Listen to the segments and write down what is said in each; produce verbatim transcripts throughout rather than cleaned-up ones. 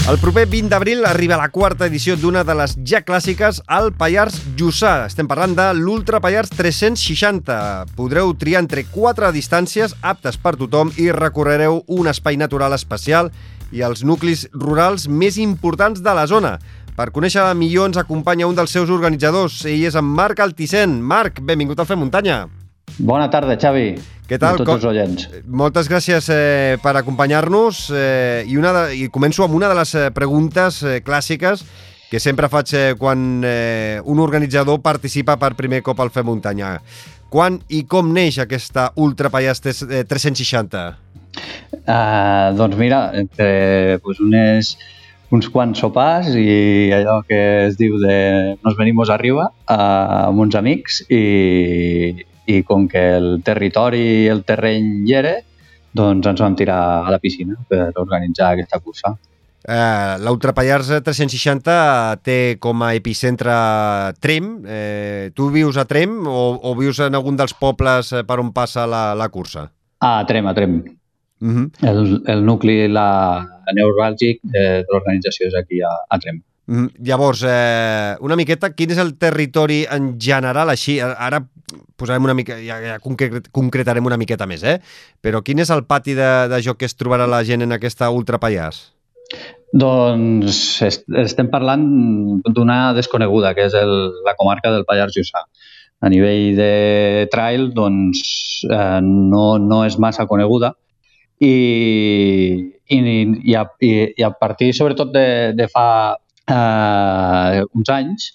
El proper vint d'abril arriba la quarta edició d'una de les ja clàssiques al Pallars Jussà. Estem parlant de l'Ultra Pallars tres-cents seixanta. Podreu triar entre quatre distàncies aptes per tothom i recorrereu un espai natural especial i els nuclis rurals més importants de la zona. Per conèixer-la millor ens acompanya un dels seus organitzadors. Ell és en Marc Altisent. Marc, benvingut al Fem Muntanya. Bona tarda, Xavi. Què tal? A tots els oients. Moltes gràcies eh, per acompanyar-nos eh, i, una de, i començo amb una de les eh, preguntes eh, clàssiques que sempre faig eh, quan eh, un organitzador participa per primer cop al Fem Muntanya. Quan i com neix aquesta Ultra Pallars tres-cents seixanta? Uh, doncs mira, entre pues, unes, uns quants sopars i allò que es diu de nos venimos arriba uh, amb uns amics i... i com que el territori i el terreny hi era, doncs ens vam tirar a la piscina per organitzar aquesta cursa. Eh, L'Ultra Pallars tres-cents seixanta té com a epicentre Tremp. Eh, tu vius a Tremp o, o vius en algun dels pobles per on passa la, la cursa? A Tremp, a Tremp. Uh-huh. el, el nucli la, neuràlgic de, de l'organització és aquí a, a Tremp. Mm, llavors, eh, una miqueta, quin és el territori en general així? Ara posarem una mica, ja, ja concret, concretarem una miqueta més, eh? Però quin és el pati de, de joc que es trobarà la gent en aquesta Ultra Pallars? Doncs est estem parlant d'una desconeguda, que és el, la comarca del Pallars Jussà. A nivell de trail, doncs, eh, no, no és massa coneguda i, i, i, a, i, i a partir, sobretot, de, de fa Uh, uns anys,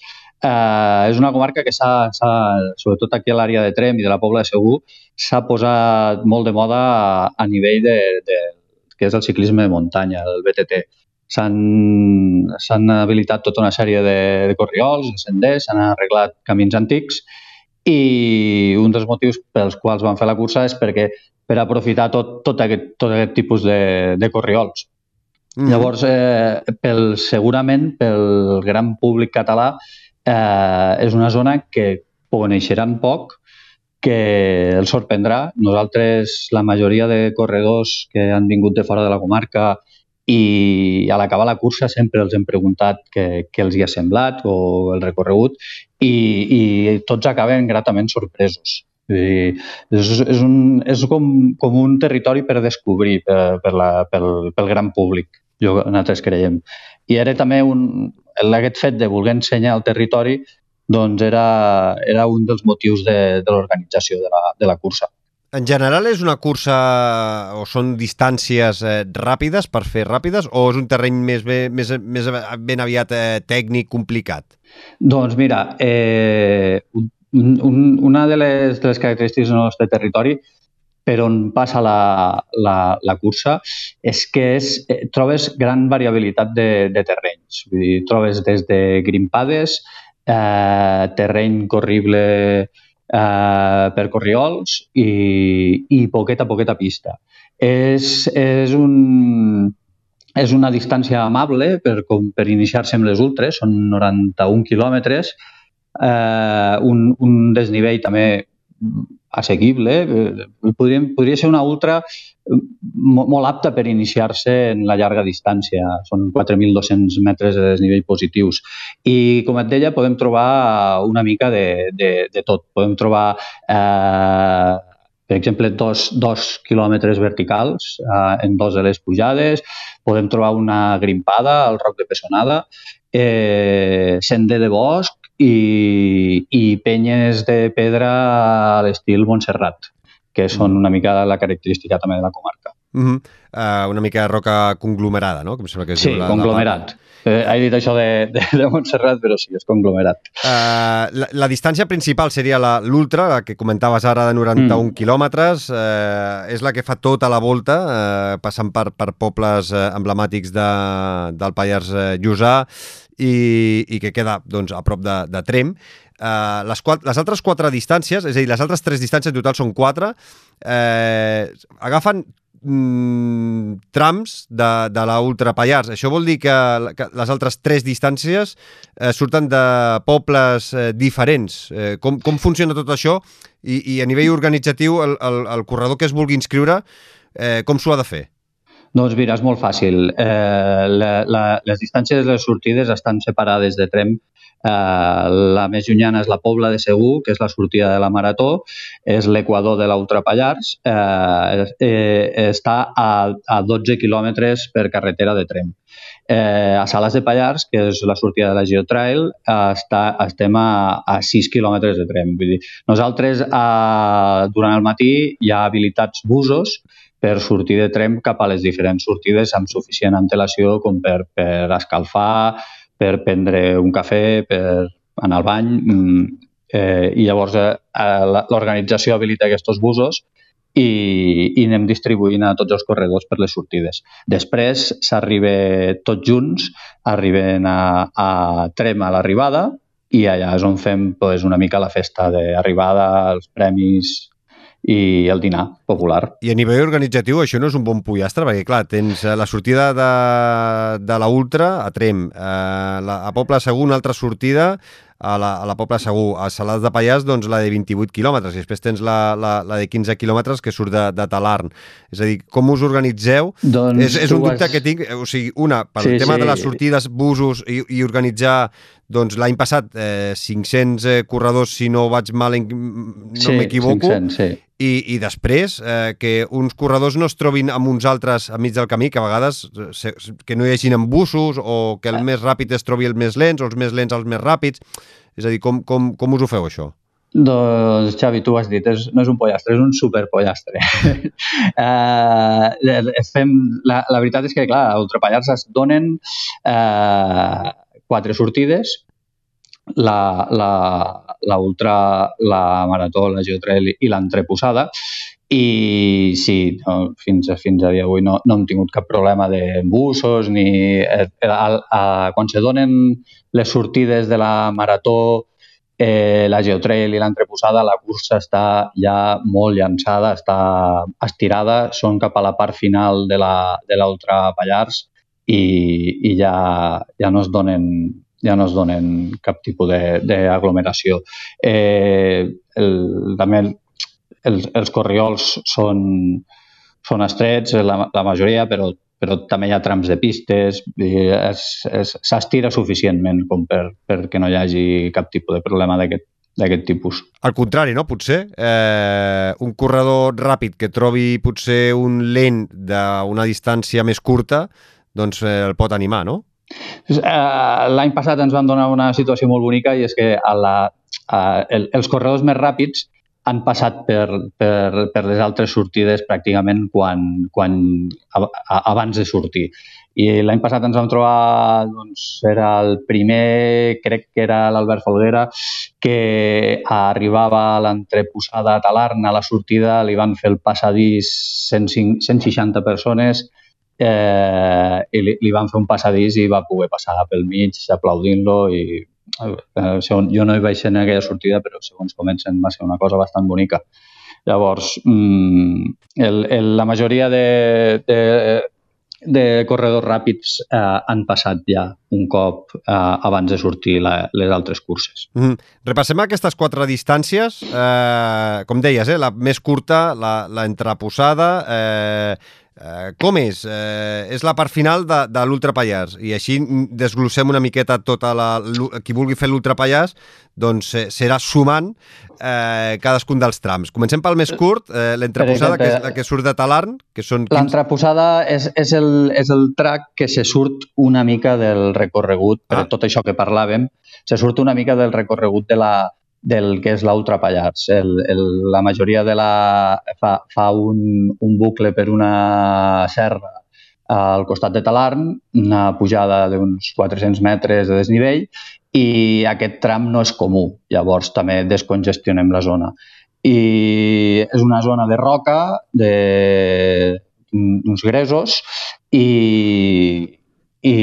uh, és una comarca que s'ha, sobretot aquí a l'àrea de Tremp i de la Pobla de Segur, s'ha posat molt de moda a, a nivell de, de, que és el ciclisme de muntanya, el B T T. S'han habilitat tota una sèrie de, de corriols, de senders, s'han arreglat camins antics i un dels motius pels quals van fer la cursa és perquè per aprofitar tot, tot, aquest, tot aquest tipus de, de corriols. Mm. Llavors, eh, pel, segurament pel gran públic català eh, és una zona que coneixeran poc, que els sorprendrà. Nosaltres, la majoria de corredors que han vingut de fora de la comarca i a l'acabar la cursa sempre els hem preguntat què, què els hi ha semblat o el recorregut i, i tots acaben gratament sorpresos. I és, és, un, és com, com un territori per descobrir per, per la, pel, pel gran públic, jo, nosaltres creiem. I era també un, aquest fet de voler ensenyar el territori doncs era, era un dels motius de, de l'organització de, la, de la cursa. En general és una cursa o són distàncies eh, ràpides per fer ràpides o és un terreny més, bé, més, més ben aviat eh, tècnic, complicat? Doncs mira, eh, Un, una de les, de les característiques del nostre territori per on passa la, la, la cursa és que és, eh, trobes gran variabilitat de, de terrenys. Vull dir, trobes des de grimpades, eh, terreny corrible eh, per corriols i, i poqueta, poqueta pista. És, és, un, és una distància amable per, per iniciar-se amb les ultres, són noranta-un quilòmetres, Uh, un, un desnivell també assequible. Podria, podria ser una ultra molt, molt apta per iniciar-se en la llarga distància. Són quatre mil dos-cents metres de desnivell positius. I, com et deia, podem trobar una mica de, de, de tot. Podem trobar, uh, per exemple, dos, dos quilòmetres verticals uh, en dos de les pujades. Podem trobar una grimpada al Roc de Pessonada, eh, sender de bosc, I, i penyes de pedra a l'estil Montserrat, que són una mica la característica també de la comarca. Mm-hmm. uh, una mica roca conglomerada, no? Que em sembla que és sí, la, conglomerat. La eh, he dit això de, de, de Montserrat, però sí, és conglomerat. Uh, la, la distància principal seria l'ultra, la, la que comentaves ara de noranta-un mm. quilòmetres. Uh, és la que fa tota la volta, uh, passant per, per pobles uh, emblemàtics de, del Pallars uh, Jussà, I, i que queda doncs, a prop de, de Tremp. Uh, les, quatre, les altres quatre distàncies, és a dir, les altres tres distàncies en total són quatre, eh, agafen mm, trams de, de la Ultra Pallars. Això vol dir que, que les altres tres distàncies eh, surten de pobles eh, diferents. Eh, com, com funciona tot això? I, i a nivell organitzatiu, el, el, el corredor que es vulgui inscriure, eh, com s'ho ha de fer? Doncs mira, és molt fàcil. Eh, la, la, les distàncies de les sortides estan separades de Tremp. Eh, la més llunyana és la Pobla de Segur, que és la sortida de la Marató, és l'equador de l'Ultra Pallars, eh, eh, està a, a dotze quilòmetres per carretera de Tremp. Eh, a Salàs de Pallars, que és la sortida de la Geotrail, eh, està, estem a, a sis quilòmetres de Tremp. Vull dir, nosaltres, eh, durant el matí, hi ha habilitats busos per sortir de Tremp cap a les diferents sortides amb suficient antelació com per, per escalfar, per prendre un cafè, per anar al bany. Eh, I llavors eh, l'organització habilita aquests busos i, i anem distribuint a tots els corredors per les sortides. Després s'arriba tots junts, arriben a, a Tremp a l'arribada i allà és on fem pues, una mica la festa d'arribada, els premis i el dinar popular. I a nivell organitzatiu això no és un bon pollastre, perquè clar, tens la sortida de, de la Ultra a Tremp, eh, la, a Pobla Segur una altra sortida a la, a la Pobla Segur, a Salàs de Pallars doncs la de vint-i-vuit quilòmetres, i després tens la, la, la de quinze quilòmetres que surt de, de Talarn. És a dir, com us organitzeu? Doncs és, és un dubte has... que tinc, o sigui, una, pel sí, tema sí. de les sortides, busos i, i organitzar, doncs l'any passat eh, cinc-cents eh, corredors, si no vaig mal, no sí, m'equivoco, cinc-cents, sí. I, i després eh, que uns corredors no es trobin amb uns altres a mig del camí, que a vegades se, que no hi hagin embussos o que el ah. més ràpid es trobi el més lents o els més lents els més ràpids. És a dir, com, com, com us ho feu, això? Doncs, Xavi, tu ho has dit, és, no és un pollastre, és un superpollastre. eh, fem, la, la veritat és que, clar, a Ultra Pallars es donen eh, quatre sortides, la, la, la Ultra, la Marató, la Geotrail i l'entreposada, i sí, no, fins, a, fins a dia d'avui no, no hem tingut cap problema d'embussos ni... Eh, a, a, quan se donen les sortides de la Marató, eh, la Geotrail i l'entreposada, la cursa està ja molt llançada, està estirada, són cap a la part final de l'Ultra Pallars i, i ja, ja no es donen... ja no es donen cap tipus d'aglomeració. Eh, el, també el, els, els corriols són, són estrets, la, la majoria, però, però també hi ha trams de pistes, s'estira suficientment com per, perquè no hi hagi cap tipus de problema d'aquest d'aquest tipus. Al contrari, no? Potser eh, un corredor ràpid que trobi potser un lent d'una distància més curta, doncs eh, el pot animar, no? L'any passat ens van donar una situació molt bonica i és que a la, a, el, els corredors més ràpids han passat per, per, per les altres sortides pràcticament quan, quan, a, a, abans de sortir. I l'any passat ens vam trobar, doncs, era el primer, crec que era l'Albert Folguera, que arribava a l'entreposada a Talarn, a la sortida, li van fer el passadís cent seixanta persones, Eh, i li, li van fer un passadís i va poder passar pel mig aplaudint-lo i eh, segons, jo no hi vaig ser en aquella sortida, però segons comencen va ser una cosa bastant bonica. Llavors, mm, el, el, la majoria de, de, de corredors ràpids eh, han passat ja un cop eh, abans de sortir la, les altres curses. Mm. Repassem aquestes quatre distàncies. Eh, com deies, eh, la més curta, la, la entreposada... Eh, Uh, com és? Uh, és la part final de, de l'Ultra Pallars i així desglossem una miqueta tota la... qui vulgui fer l'Ultra Pallars doncs eh, serà sumant eh, cadascun dels trams. Comencem pel més curt, eh, l'entreposada, que és la que surt de Talarn, que són... quinze... L'entreposada és, és, el, és el track que se surt una mica del recorregut, per ah. tot això que parlàvem, se surt una mica del recorregut de la del que és l'Ultra Pallars. El, el, la majoria de la... fa, fa un, un bucle per una serra al costat de Talarn, una pujada d'uns quatre-cents metres de desnivell i aquest tram no és comú. Llavors també descongestionem la zona. I és una zona de roca, d'uns gresos i, i,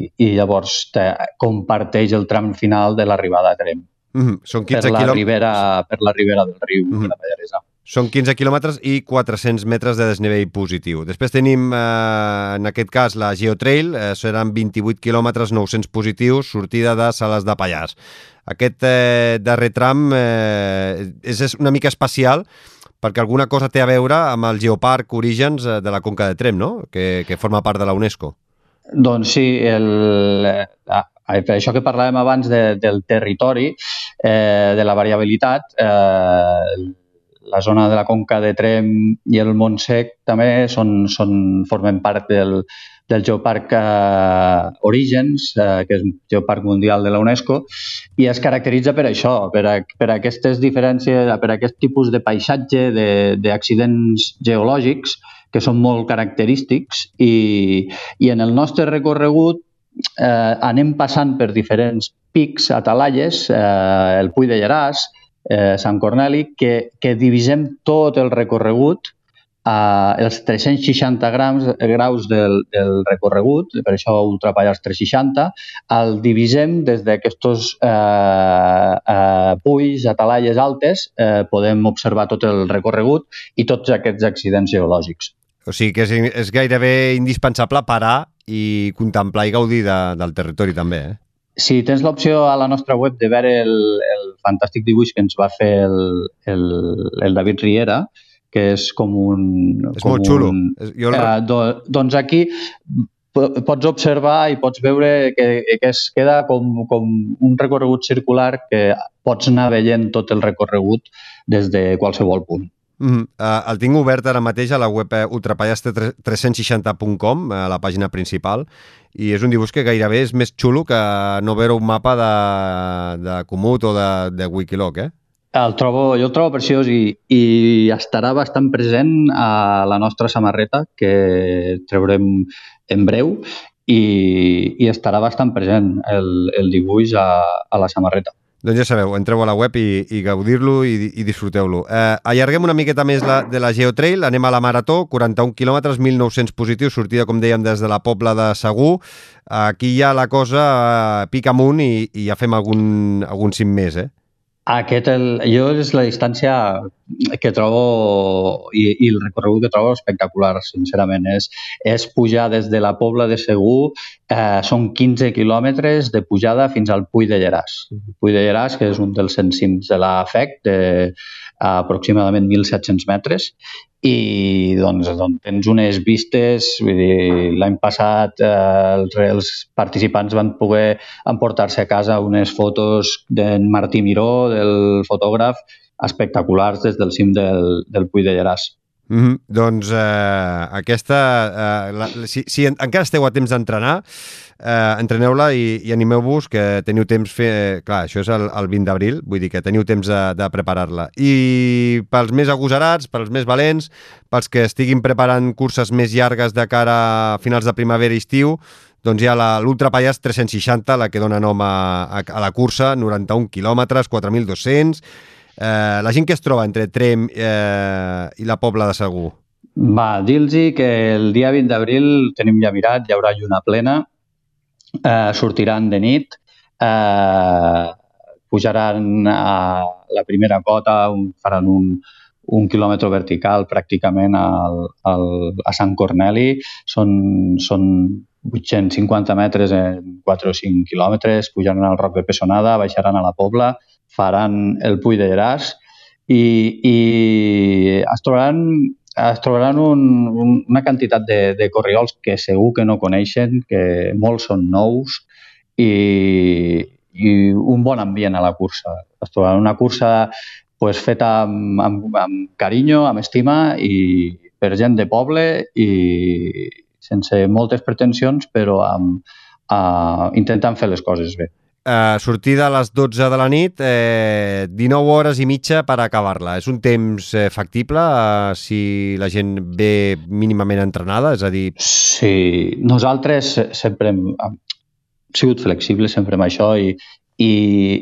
i llavors te, comparteix el tram final de l'arribada a Tremp. Mm-hmm. Són quinze per, la quilòmetres... ribera, per la ribera del riu mm-hmm. de la Pallaresa. Són quinze quilòmetres i quatre-cents metres de desnivell positiu. Després tenim, eh, en aquest cas, la Geotrail, eh, seran vint-i-vuit quilòmetres, nou-cents positius, sortida de Salàs de Pallars. Aquest eh, darrer tram eh, és una mica especial perquè alguna cosa té a veure amb el Geoparc Orígens de la Conca de Tremp, no? Que, que forma part de la UNESCO. Doncs sí, el, ah, això que parlàvem abans de, del territori, eh, de la variabilitat, eh, la zona de la Conca de Tremp i el Montsec també són, són, formen part del, del Geoparc eh, Orígens, eh, que és un geoparc mundial de la UNESCO, i es caracteritza per això, per, a, per aquestes diferències, per aquest tipus de paisatge, d'accidents geològics, que són molt característics, i, i en el nostre recorregut eh, anem passant per diferents pics, atalalles, eh, el Puig de Lleràs, eh, Sant Corneli, que, que divisem tot el recorregut a els tres-cents seixanta grams, graus del, del recorregut, per això Ultrapallars tres seixanta, el divisem des d'aquests eh, eh, puigs, atalalles altes, eh, podem observar tot el recorregut i tots aquests accidents geològics. O sigui que és, és gairebé indispensable parar i contemplar i gaudir de, del territori també, eh? Si tens l'opció a la nostra web de veure el, el fantàstic dibuix que ens va fer el, el, el David Riera, que és com un... És com molt xulo. Un, jo el... eh, do, doncs aquí pots observar i pots veure que, que es queda com, com un recorregut circular que pots anar veient tot el recorregut des de qualsevol punt. Mm, uh, el tinc obert ara mateix a la web ultrapallars tres-cents seixanta punt com, a la pàgina principal, i és un dibuix que gairebé és més xulo que no veure un mapa de, de Komoot o de, de Wikiloc, eh? El trobo, jo el trobo preciós i, i estarà bastant present a la nostra samarreta, que treurem en breu, i, i estarà bastant present el, el dibuix a, a la samarreta. Doncs ja sabeu, entreu a la web i, i gaudir-lo i, i disfruteu-lo. Eh, allarguem una miqueta més la, de la Geotrail, anem a la Marató, quaranta-un quilòmetres, mil nou-cents positius, sortida, com dèiem, des de la Pobla de Segur. Aquí ja la cosa eh, pica amunt i, i ja fem algun, algun cim més, eh? Aquest el, jo és la distància que trobo i, i el recorregut que trobo espectacular, sincerament. És, és pujar des de la Pobla de Segur, eh, són quinze quilòmetres de pujada fins al Puig de Lleràs. El Puig de Lleràs, que és un dels cent cims de la F E C, de aproximadament mil set-cents metres, i doncs, doncs tens unes vistes, vull dir, l'any passat eh, els, els participants van poder emportar-se a casa unes fotos d'en Martí Miró, del fotògraf, espectaculars des del cim del, del Puig de Lleràs. Mm-hmm. Doncs eh, aquesta, eh, la, si, si en, encara esteu a temps d'entrenar, eh, entreneu-la i, i animeu-vos, que teniu temps fer... Eh, clar, això és el, el vint d'abril, vull dir que teniu temps de, de preparar-la. I pels més agosarats, pels més valents, pels que estiguin preparant curses més llargues de cara a finals de primavera i estiu, doncs hi ha l'Ultrapallars tres-cents seixanta, la que dona nom a, a, a la cursa, noranta-un quilòmetres, quatre mil dos-cents... Eh, la gent que es troba entre Tremp eh, i la Pobla de Segur? Va, dir-los que el dia vint d'abril tenim ja mirat, hi haurà lluna plena, eh, sortiran de nit, eh, pujaran a la primera cota, un, faran un, un quilòmetre vertical pràcticament al, al, a Sant Corneli, són, són vuit-cents cinquanta metres en quatre o cinc quilòmetres, pujaran al Roc de Pessonada, baixaran a la Pobla, faran el Puig de Lleràs i, i es trobaran, es trobaran un, un, una quantitat de, de corriols que segur que no coneixen, que molts són nous i, i un bon ambient a la cursa. Es trobaran una cursa pues, feta amb, amb, amb carinyo, amb estima i per gent de poble i sense moltes pretensions, però amb, uh, intentant fer les coses bé. Uh, sortida a les dotze de la nit, eh, dinou hores i mitja per acabar-la. És un temps eh, factible uh, si la gent ve mínimament entrenada? És a dir... Sí, nosaltres sempre hem, hem sigut flexibles sempre amb això i, i,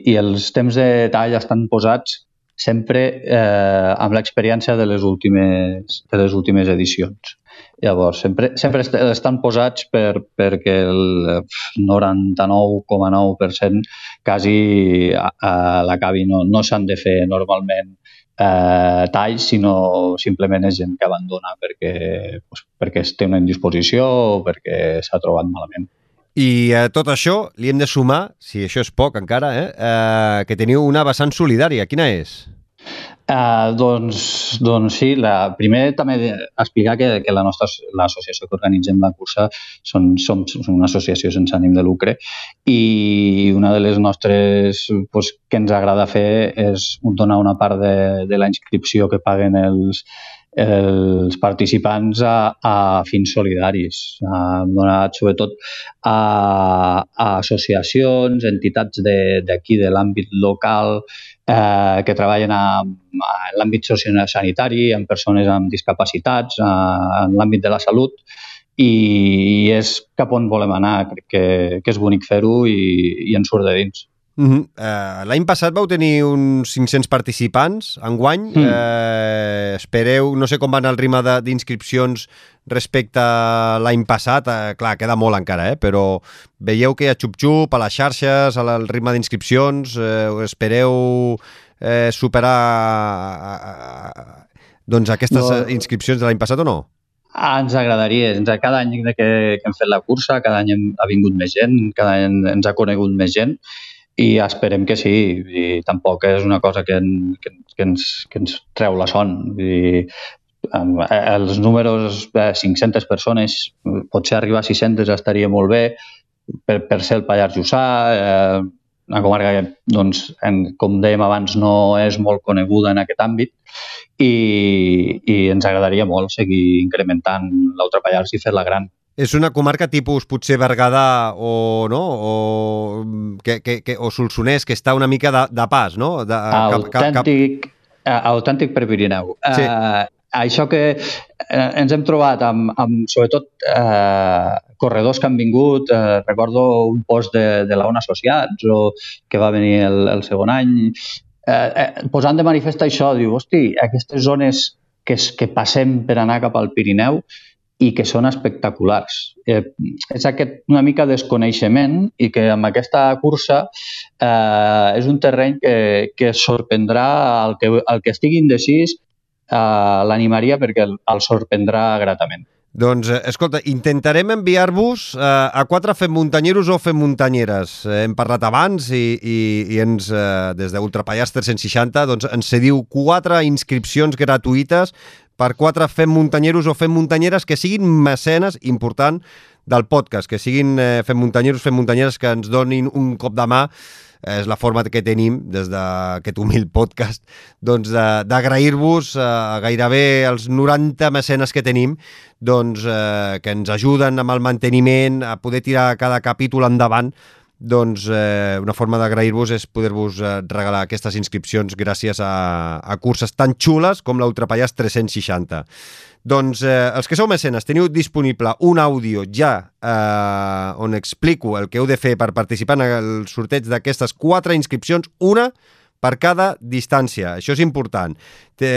i els temps de tall estan posats sempre eh, amb l'experiència de les últimes, de les últimes edicions. Llavors, sempre, sempre estan posats per, perquè el noranta-nou coma nou per cent quasi a, a l'acabi. No, no s'han de fer normalment eh, talls, sinó simplement és gent que abandona perquè, pues, perquè es té una indisposició o perquè s'ha trobat malament. I a tot això li hem de sumar, si això és poc encara, eh, eh, que teniu una vessant solidària. Quina és? Uh, doncs, doncs sí, la, primer també explicar que, que la nostra l'associació que organitzem la cursa són, som, som una associació sense ànim de lucre i una de les nostres pues, que ens agrada fer és donar una part de, de la inscripció que paguen els, els participants a, a fins solidaris, a, donat sobretot a, a associacions, entitats d'aquí, de, de l'àmbit local, eh, que treballen a, a l'àmbit sociosanitari, amb persones amb discapacitats, a, en l'àmbit de la salut, i, i és cap on volem anar. Crec que, que és bonic fer-ho i, i ens surt de dins. Uh-huh. Uh, l'any passat vau tenir uns cinc-cents participants, enguany. Mm. Uh, espereu, no sé com van el ritme d'inscripcions respecte a l'any passat. Uh, clar, queda molt encara, eh? Però veieu que hi ha xup-xup a les xarxes, al ritme d'inscripcions. Uh, espereu uh, superar uh, uh, doncs aquestes no. inscripcions de l'any passat o no? Ah, ens agradaria. Cada any que, que hem fet la cursa, cada any hem, ha vingut més gent, cada any ens ha conegut més gent, i esperem que sí, i tampoc és una cosa que, en, que, que, ens, que ens treu la son. I, els números de cinc-centes persones, potser arribar a sis-centes estaria molt bé per, per ser el Pallars Jussà, eh, una comarca que, doncs, en, com dèiem abans, no és molt coneguda en aquest àmbit, i, i ens agradaria molt seguir incrementant l'Ultra Pallars i fer-la gran. És una comarca tipus potser Berguedà o, no? o, que, que, que, o Solsonès, que està una mica de, de pas, no? De, autèntic, cap, cap... autèntic per Pirineu. Sí. Uh, això que eh, ens hem trobat amb, amb sobretot, eh, corredors que han vingut, eh, recordo un post de, de la ONU Associats, o que va venir el, el segon any, eh, eh, posant de manifest això, diu, hosti, aquestes zones que, que passem per anar cap al Pirineu, i que són espectaculars. Eh, és aquest una mica desconeixement i que amb aquesta cursa eh, és un terreny que, que sorprendrà el que, el que estigui indecis, eh, l'animaria perquè el, el sorprendrà gratament. Doncs, escolta, intentarem enviar-vos eh, a quatre fem muntanyeros o fem muntanyeres. Eh, hem parlat abans i, i, i ens, eh, des d'Ultra Pallars tres-cents seixanta, doncs ens cediu quatre inscripcions gratuïtes per quatre fem muntanyeros o fem muntanyeres que siguin mecenes, important, del podcast, que siguin eh, fem muntanyeros, fem muntanyeres que ens donin un cop de mà. És la forma que tenim des d'aquest humil podcast, doncs d'agrair-vos a gairebé els noranta mecenes que tenim, doncs eh, que ens ajuden amb el manteniment, a poder tirar cada capítol endavant. Doncs eh, una forma d'agrair-vos és poder-vos eh, regalar aquestes inscripcions gràcies a, a curses tan xules com l'Ultra Pallars tres-cents seixanta. Doncs eh, els que sou mecenes teniu disponible un àudio ja eh, on explico el que heu de fer per participar en el sorteig d'aquestes quatre inscripcions, una per cada distància. Això és important. Té,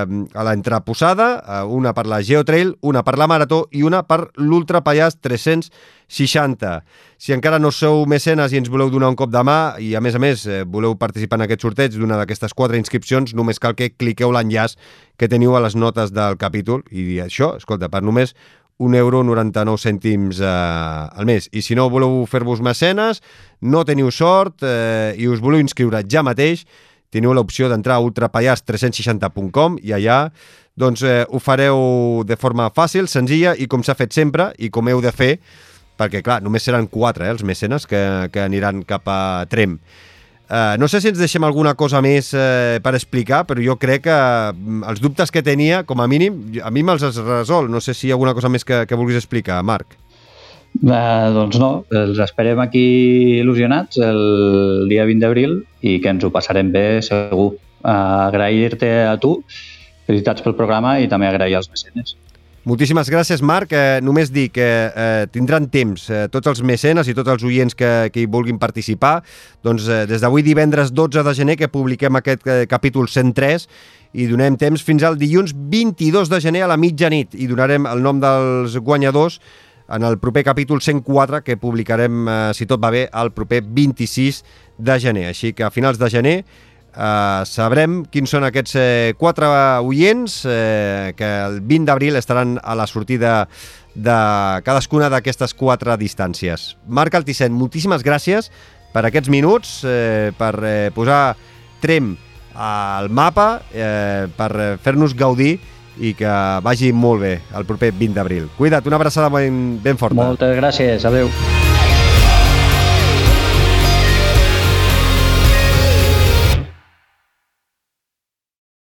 a l'entreposada, una per la Geotrail, una per la Marató i una per l'Ultra Pallars tres-cents seixanta. Si encara no sou mecenes i ens voleu donar un cop de mà i, a més a més, voleu participar en aquest sorteig d'una d'aquestes quatre inscripcions, només cal que cliqueu l'enllaç que teniu a les notes del capítol i això, escolta, per només un euro noranta-nou cèntims eh, al mes. I si no voleu fer-vos mecenes, no teniu sort eh, i us voleu inscriure ja mateix, teniu l'opció d'entrar a ultra pallars tres-cents seixanta punt com i allà doncs, eh, ho fareu de forma fàcil, senzilla i com s'ha fet sempre i com heu de fer, perquè clar, només seran quatre eh, els mecenes que, que aniran cap a Trem. Uh, no sé si ens deixem alguna cosa més uh, per explicar, però jo crec que uh, els dubtes que tenia, com a mínim, a mi me'ls has resolt. No sé si hi ha alguna cosa més que, que vulguis explicar, Marc. Uh, doncs no, els esperem aquí il·lusionats el dia vint d'abril i que ens ho passarem bé segur. Uh, agrair-te a tu, felicitats pel programa i també agrair als mecenes. Moltíssimes gràcies, Marc. Eh, només dir que eh, tindran temps eh, tots els mecenes i tots els oients que, que hi vulguin participar. Doncs eh, des d'avui divendres dotze de gener que publiquem aquest eh, capítol cent tres i donem temps fins al dilluns vint-i-dos de gener a la mitjanit i donarem el nom dels guanyadors en el proper capítol cent quatre que publicarem, eh, si tot va bé, el proper vint-i-sis de gener. Així que a finals de gener Uh, sabrem quins són aquests eh, quatre oients eh, que el vint d'abril estaran a la sortida de cadascuna d'aquestes quatre distàncies. Marc Altisent, moltíssimes gràcies per aquests minuts, eh, per eh, posar Trem al mapa eh, per fer-nos gaudir i que vagi molt bé el proper vint d'abril. Cuida't, una abraçada ben, ben forta. Moltes gràcies, adeu.